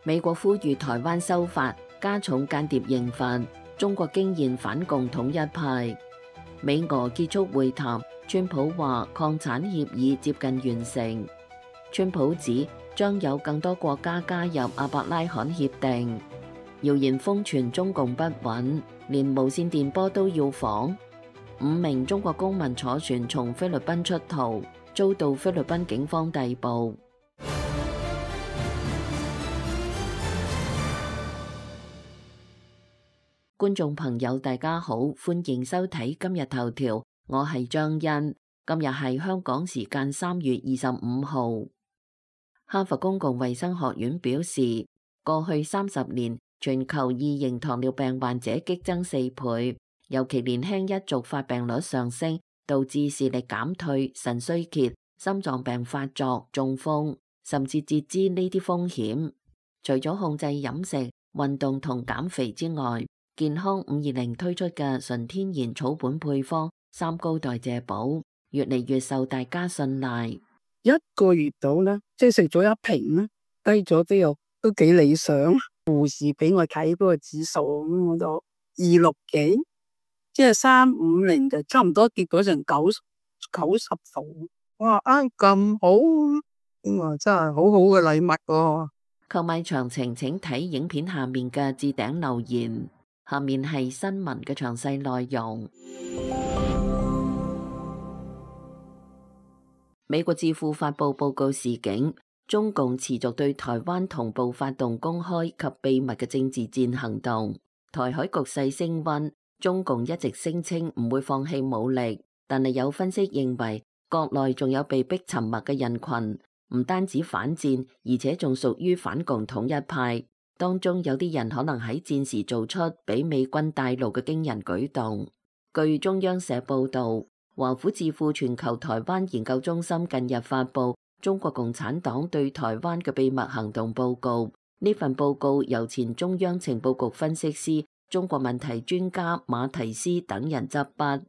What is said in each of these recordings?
美國呼籲台灣修法，加重間諜刑罰。中國驚現反共統一派。美俄結束會談，川普話擴產協議接近完成。川普指將有更多國家加入阿伯拉罕協定。謠言瘋傳中共不穩，連無線電波都要防。5名中國公民坐船從菲律賓出逃，遭到菲律賓警方逮捕。觀眾朋友大家好，歡迎收睇今日頭條，我係張欣。今日係香港時間3月25號。哈佛公共衛生學院表示，過去30年全球2型糖尿病患者激增4倍，尤其年輕一族發病率上升，導致視力減退、腎衰竭、心臟病發作、中風，甚至截肢呢啲風險。除咗控制飲食、運動同減肥之外，健康520推出嘅純天然草本配方3高代謝寶，越嚟越受大家信賴。1個月到啦，即係食咗1瓶啦，低咗都幾理想。護士俾我睇嗰個指數，我就260幾，即係350就差唔多跌咗成90度。哇，咁好，哇，真係好好嘅禮物喎。購買詳情請睇影片下面嘅置頂留言。下面係新聞嘅詳細內容。美國智庫發布報告示警，中共持續對台灣同步發動公開及秘密嘅政治戰行動。台海局勢升溫，中共一直聲稱唔會放棄武力，但係有分析認為，國內仲有被逼沉默嘅人群，唔單止反戰，而且仲屬於反共統一派。當中有啲人可能喺戰時做出俾美軍帶路嘅驚人舉動。據中央社報導，華府智庫全球台灣研究中心近日發布中國共產黨對台灣嘅秘密行動報告。呢份報告由前中央情報局分析師、中國問題專家馬提斯等人執筆。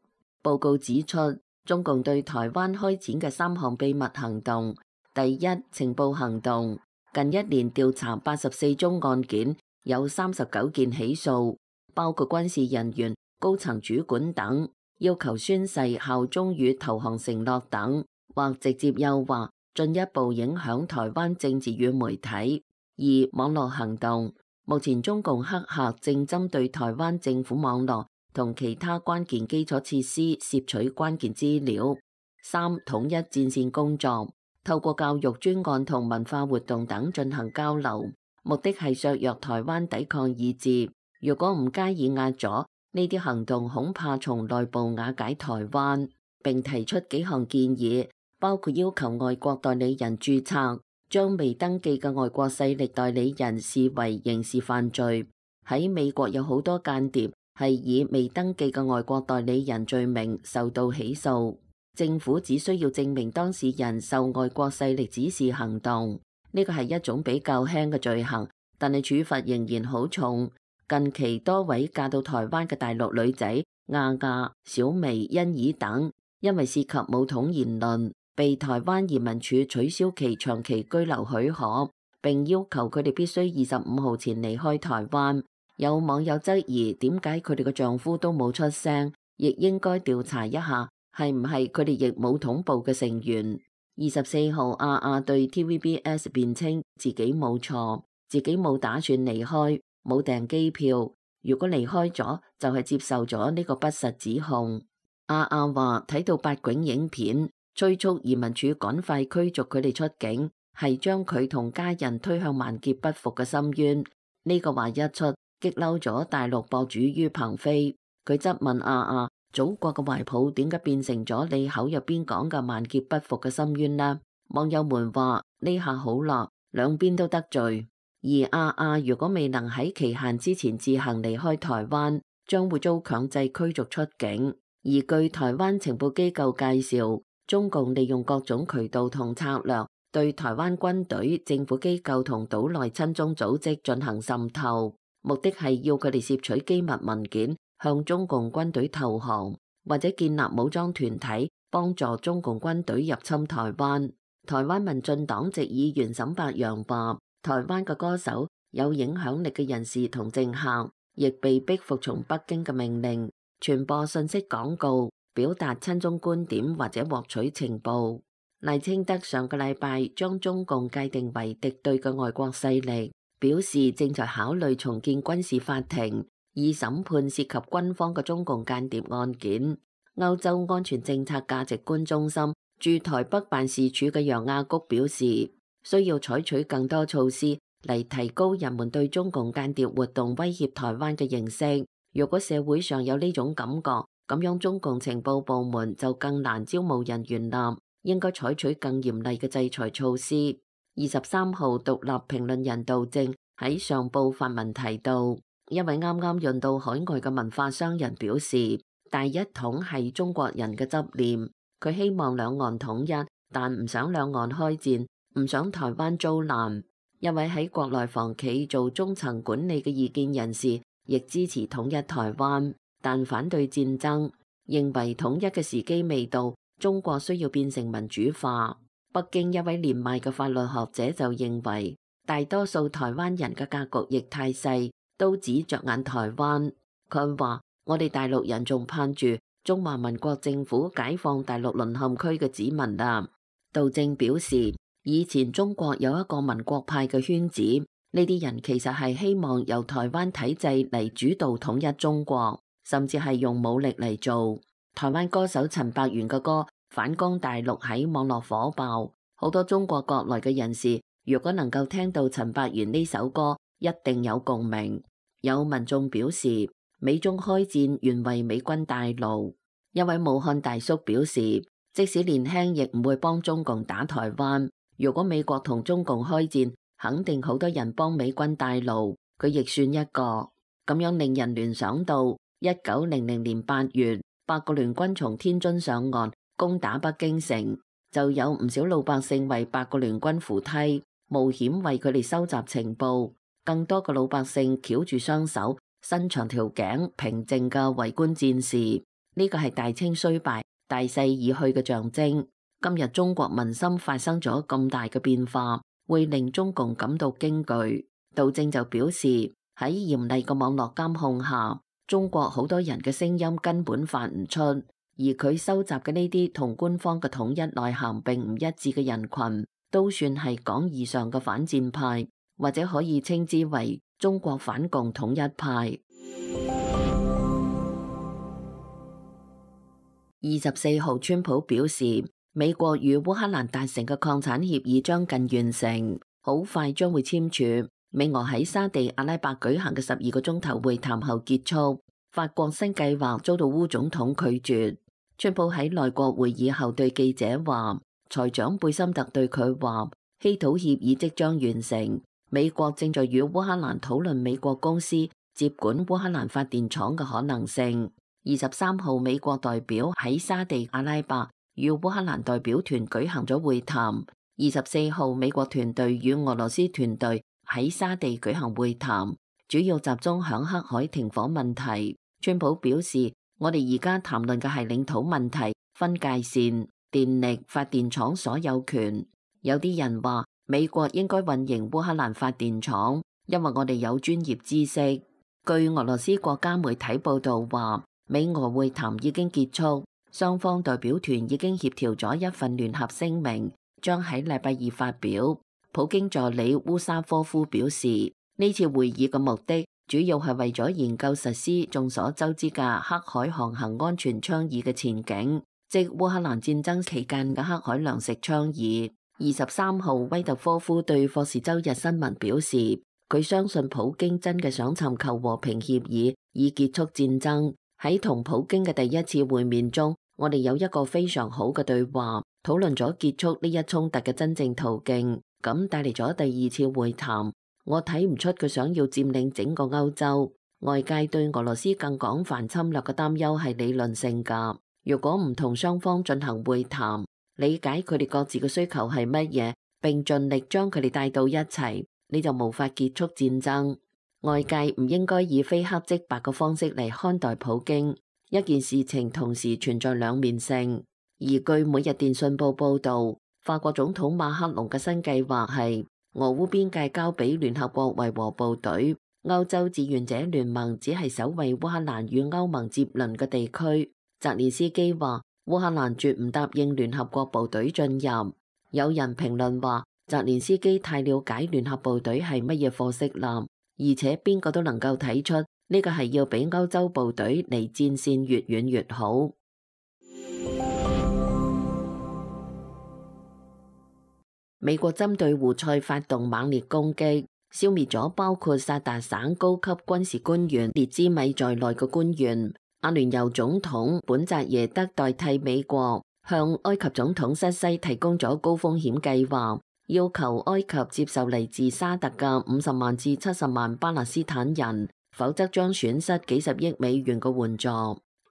報告指出，中共對台灣開展嘅3項秘密行動：第一，情報行動。近1年調查84宗案件，有39件起訴，包括軍事人員、高層主管等，要求宣誓效忠與投降承諾等，或直接誘惑，進一步影響台灣政治與媒體。2. 網絡行動。目前中共黑客正針對台灣政府網絡同其他關鍵基礎設施攝取關鍵資料。3. 統一戰線工作。透過教育專案同文化活動等進行交流，目的係削弱台灣抵抗意志。如果唔加以壓阻，呢啲行動恐怕從內部瓦解台灣。並提出幾項建議，包括要求外國代理人註冊，將未登記嘅外國勢力代理人視為刑事犯罪。喺美國有好多間諜係以未登記嘅外國代理人罪名受到起訴。政府只需要證明當事人受外國勢力指示行動，呢個係一種比較輕嘅罪行，但係處罰仍然好重。近期多位嫁到台灣嘅大陸女仔亞亞、小薇、欣怡等，因為涉及武統言論，被台灣移民署取消其長期居留許可，並要求佢哋必須25號前離開台灣。有網友質疑點解佢哋嘅丈夫都冇出聲，亦應該調查一下。係唔係佢哋亦武統部嘅成員？24號亞亞對 TVBS 辯稱自己冇錯，自己冇打算離開，冇訂機票。如果離開咗，就係接受咗呢個不實指控。亞亞話睇到8囧影片，催促移民署趕快驅逐佢哋出境，係將佢同家人推向萬劫不復嘅深淵。呢個話一出，激嬲咗大陸博主于鵬飛，佢質問亞亞：祖國嘅懷抱點解變成咗你口入邊講嘅萬劫不復嘅深淵呢？網友們話呢下好辣，兩邊都得罪。而亞亞如果未能喺期限之前自行離開台灣，將會遭強制驅逐出境。而據台灣情報機構介紹，中共利用各種渠道同策略，對台灣軍隊、政府機構同島內親中組織進行滲透，目的係要佢哋攝取機密文件，向中共軍隊投降，或者建立武裝團體，幫助中共軍隊入侵台灣。台灣民進黨籍議員沈伯洋話：台灣嘅歌手有影響力嘅人士同政客亦被逼服從北京嘅命令，傳播信息廣告，表達親中觀點或者獲取情報。賴清德上個禮拜將中共界定為敵對嘅外國勢力，表示正在考慮重建軍事法庭，以審判涉及軍方嘅中共間諜案件。歐洲安全政策價值觀中心駐台北辦事處嘅楊亞谷表示，需要採取更多措施嚟提高人們對中共間諜活動威脅台灣嘅認識。如果社會上有呢種感覺，咁樣中共情報部門就更難招募人員啦，應該採取更嚴厲嘅制裁措施。23號獨立評論人杜正喺上報發文提到，一位啱啱潤到海外嘅文化商人表示，大一統係中國人嘅執念，佢希望兩岸統一，但唔想兩岸開戰，唔想台灣遭難。一位喺國內房企做中層管理嘅異見人士亦支持統一台灣，但反對戰爭，認為統一嘅時機未到，中國需要變成民主化。北京一位年邁嘅法律學者就認為，大多數台灣人嘅格局亦太細，都只着眼台灣。佢話：我哋大陸人仲盼住中華民國政府解放大陸淪陷區嘅子民啊。杜正表示，以前中國有一個民國派嘅圈子，呢啲人其實係希望由台灣體制嚟主導統一中國，甚至係用武力嚟做。台灣歌手陳百元嘅歌《反攻大陸》喺網絡火爆，好多中國國內嘅人士如果能夠聽到陳百元呢首歌，一定有共鳴。有民眾表示，美中開戰原為美軍帶路。一位武漢大叔表示，即使年輕亦唔會幫中共打台灣。如果美國同中共開戰，肯定好多人幫美軍帶路，佢亦算一個。咁樣令人聯想到1900年8月，八國聯軍從天津上岸攻打北京城，就有唔少老百姓為八國聯軍扶梯，冒險為佢哋收集情報。更多嘅老百姓翹住雙手，伸長條頸，平靜嘅圍觀戰事。呢個係大清衰敗、大勢已去嘅象徵。今日中國民心發生咗咁大嘅變化，會令中共感到驚懼。杜正就表示，喺嚴厲嘅網絡監控下，中國好多人嘅聲音根本發唔出，而佢收集嘅呢啲同官方嘅統一內涵並唔一致嘅人群，都算係講義上嘅反戰派，或者可以稱之為中國反共統一派。24號，川普表示，美國與烏克蘭達成嘅礦產協議將近完成，好快將會簽署。美俄喺沙地阿拉伯舉行嘅12個鐘頭會談後結束。法國新計劃遭到烏總統拒絕。川普喺內閣會議後對記者話，財長貝森特對佢話，稀土協議即將完成，美國正在與烏克蘭討論美國公司接管烏克蘭發電廠嘅可能性。23號，美國代表喺沙地阿拉伯與烏克蘭代表團舉行咗會談。24號，美國團隊與俄羅斯團隊喺沙地舉行會談，主要集中響黑海停火問題。川普表示，我哋而家談論嘅係領土問題、分界線、電力、發電廠所有權。有啲人話美國應該運營烏克蘭發電廠，因為我哋有專業知識。據俄羅斯國家媒體報道話，美俄會談已經結束，雙方代表團已經協調咗一份聯合聲明，將喺禮拜二發表。普京助理烏沙科夫表示，呢次會議嘅目的主要係為咗研究實施眾所周知嘅黑海航行安全倡議嘅前景，即烏克蘭戰爭期間嘅黑海糧食倡議。23號，威特科夫對霍士周日新聞表示，佢相信普京真嘅想尋求和平協議，以結束戰爭。喺同普京嘅第一次會面中，我哋有一個非常好嘅對話，討論咗結束呢一衝突嘅真正途徑，咁帶嚟咗第二次會談。我睇唔出佢想要佔領整個歐洲。外界對俄羅斯更廣泛侵略嘅擔憂係理論性㗎。如果唔同雙方進行會談，理解佢哋各自嘅需求係乜嘢，並盡力將佢哋帶到一齊，你就無法結束戰爭。外界唔應該以非黑即白嘅方式嚟看待普京。一件事情同時存在兩面性。而據每日電訊報報導，法國總統馬克龍嘅新計劃係俄烏邊界交俾聯合國維和部隊，歐洲志願者聯盟只係守衛烏克蘭與歐盟接鄰嘅地區。澤連斯基話：烏克蘭絕唔答應聯合國部隊進入。有人評論話，澤連斯基太了解聯合部隊係乜嘢貨色啦，而且邊個都能夠睇出呢個係要俾歐洲部隊離戰線越遠越好。美國針對胡塞發動猛烈攻擊，消滅咗包括薩達省高級軍事官員列茲米在內嘅官員。阿聯酋總統本澤耶德代替美國向埃及總統塞西提供咗高風險計劃，要求埃及接受嚟自沙特嘅50萬至70萬巴勒斯坦人，否則將損失幾十億美元嘅援助。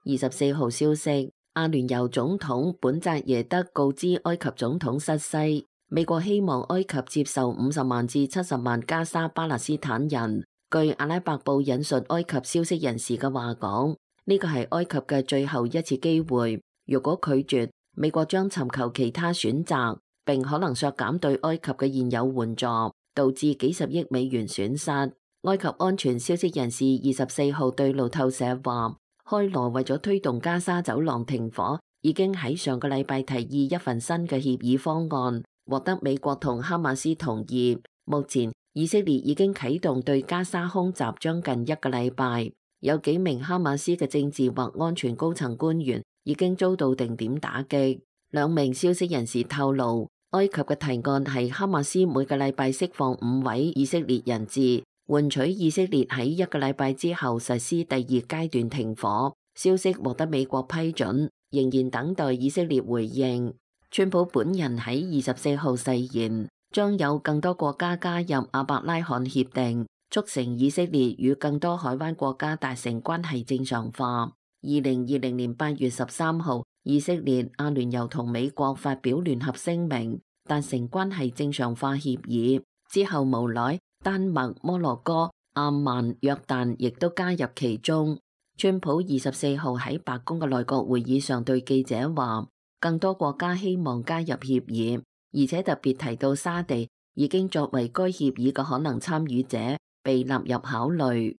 24號消息，阿聯酋總統本澤耶德告知埃及總統塞西，美國希望埃及接受50萬至70萬加沙巴勒斯坦人。據阿拉伯報引述埃及消息人士嘅話講，呢個係埃及嘅最後一次機會。如果拒絕，美國將尋求其他選擇，並可能削減對埃及嘅現有援助，導致幾十億美元損失。埃及安全消息人士24號對路透社話，開羅為咗推動加沙走廊停火，已經喺上個禮拜提議一份新嘅協議方案，獲得美國同哈馬斯同意。目前以色列已經啟動對加沙空襲將近一個禮拜，有幾名哈馬斯嘅政治或安全高層官員已經遭到定點打擊。兩名消息人士透露，埃及嘅提案係哈馬斯每個禮拜釋放5位以色列人質，換取以色列喺一個禮拜之後實施第2階段停火。消息獲得美國批准，仍然等待以色列回應。川普本人喺24號誓言，將有更多國家加入阿伯拉罕協定，促成以色列與更多海灣國家達成關係正常化。2020年8月13號，以色列、阿聯酋同美國發表聯合聲明，達成關係正常化協議。之後無奈丹麥、摩洛哥、阿曼、約旦亦都加入其中。川普24號喺白宮嘅內閣會議上對記者話，更多國家希望加入協議，而且特別提到沙地已經作為該協議嘅可能參與者，被納入考慮。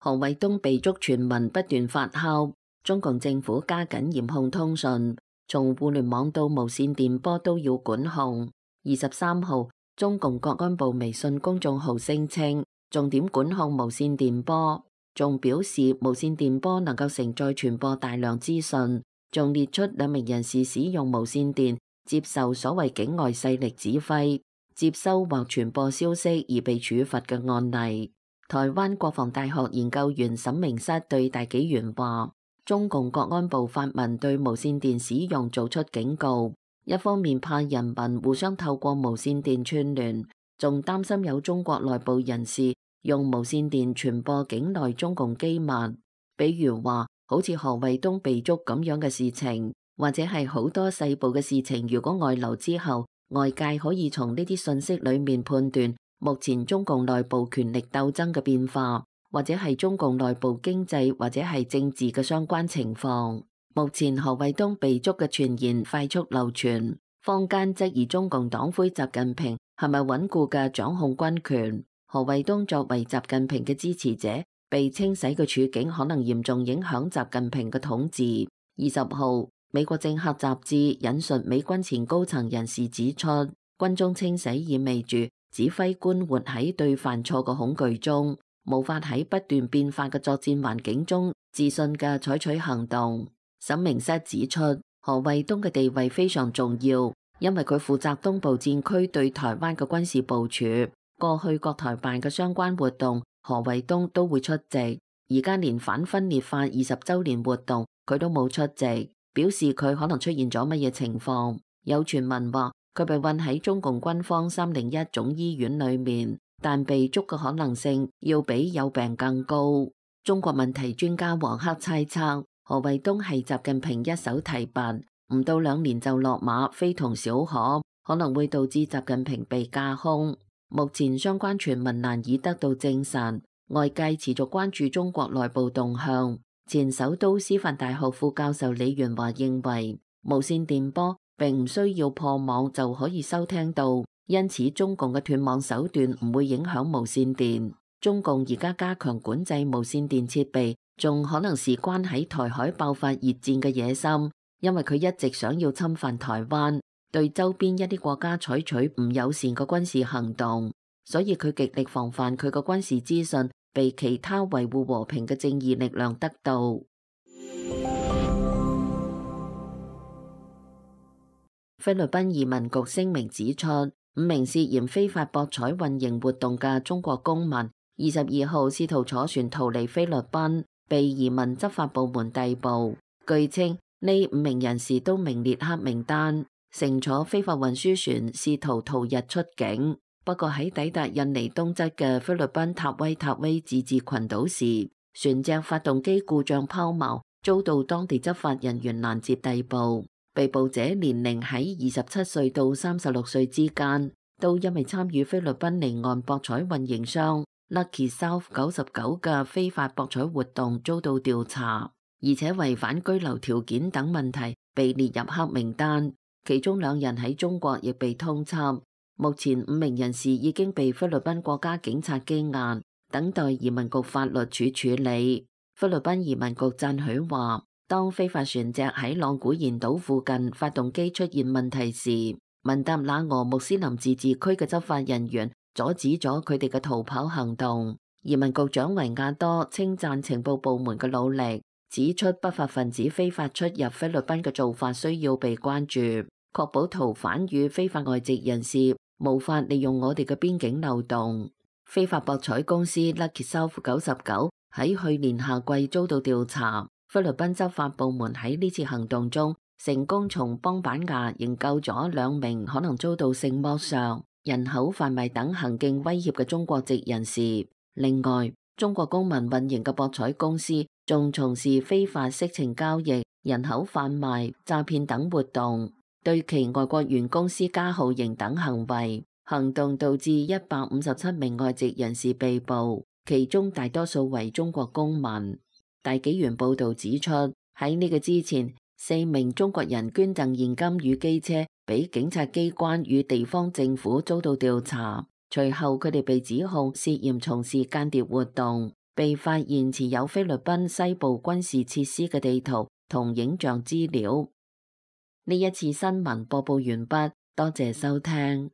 何衛東被捉傳聞不斷發酵，中共政府加緊嚴控通訊，從互聯網到無線電波都要管控。23號，中共國安部微信公眾號聲稱，重點管控無線電波，仲表示無線電波能夠承載傳播大量資訊，仲列出2名人士使用無線電接受所謂境外勢力指揮、接收或傳播消息而被處罰嘅案例。台灣國防大學研究員沈明室對大紀元話，中共國安部發文對無線電使用做出警告，一方面怕人民互相透過無線電串聯，仲擔心有中國內部人士用無線電傳播境內中共機密，比如話好似何衛東被捉咁樣嘅事情，或者係好多細部嘅事情，如果外流之後，外界可以從呢啲信息裏面判斷目前中共內部權力鬥爭嘅變化，或者係中共內部經濟或者係政治嘅相關情況。目前何衛東被捉嘅傳言快速流傳，坊間質疑中共黨魁習近平係咪穩固嘅掌控軍權。何衛東作為習近平嘅支持者，被清洗嘅處境可能嚴重影響習近平嘅統治。20號，美國政客雜誌引述美軍前高層人士指出，軍中清洗意味住指揮官活喺對犯錯嘅恐懼中，無法喺不斷變化嘅作戰環境中自信嘅採取行動。沈明室指出，何衛東嘅地位非常重要，因為佢負責東部戰區對台灣嘅軍事部署。過去國台辦嘅相關活動，何衛東都會出席。而家連反分裂法20週年活動，佢都冇出席，表示佢可能出現咗乜嘢情況。有傳聞話，佢被運喺中共軍方301總醫院裏面，但被捉嘅可能性要比有病更高。中國問題專家黃克猜測，何衛東係習近平一手提拔，唔到2年就落馬，非同小可，可能會導致習近平被架空。目前相關傳聞難以得到證實，外界持續關注中國內部動向。前首都師範大學副教授李元華認為，無線電波並唔需要破網就可以收聽到，因此中共嘅斷網手段唔會影響無線電。中共而家加強管制無線電設備，仲可能事關喺台海爆發熱戰嘅野心，因為佢一直想要侵犯台灣，對周邊一啲國家採取唔友善嘅軍事行動，所以佢極力防範佢嘅軍事資訊被其他維護和平嘅正義力量得到。菲律賓移民局聲明指出，5名涉嫌非法博彩運營活動嘅中國公民22號試圖坐船逃離菲律賓，被移民執法部門逮捕。據稱，呢5名人士都名列黑名單，乘坐非法運輸船試圖逃逸出境。不過喺抵達印尼東側嘅菲律賓塔威自治群島時，船隻發動機故障拋錨，遭到當地執法人員攔截逮捕。被捕者年齡喺27歲到36歲之間，都因為參與菲律賓離岸博彩運營商 Lucky South 99嘅非法博彩活動遭到調查，而且違反居留條件等問題被列入黑名單。其中2人喺中國亦被通緝。目前5名人士已經被菲律賓國家警察羈押，等待移民局法律處處理。菲律賓移民局讚許話，當非法船隻喺朗古賢島附近發動機出現問題時，文達那俄穆斯林自治區嘅執法人員阻止咗佢哋嘅逃跑行動。移民局長維亞多稱讚情報部門嘅努力，指出不法分子非法出入菲律賓嘅做法需要被關注，確保逃犯與非法外籍人士無法利用我哋嘅邊境漏洞。非法博彩公司 Lucky South 99喺去年夏季遭到調查。菲律賓執法部門喺呢次行動中成功從邦板牙營救咗2名可能遭到性剝削、人口販賣等行徑威脅嘅中國籍人士。另外，中國公民運營嘅博彩公司仲從事非法色情交易、人口販賣、詐騙等活動，對其外國員工施加酷刑等行為。行動導致157名外籍人士被捕，其中大多數為中國公民。大紀元報導指出，喺呢個之前，4名中國人捐贈現金與機車俾警察機關與地方政府遭到調查，隨後佢哋被指控涉嫌從事間諜活動，被發現持有菲律賓西部軍事設施嘅地圖同影像資料。呢一次新聞播報完畢，多謝收聽。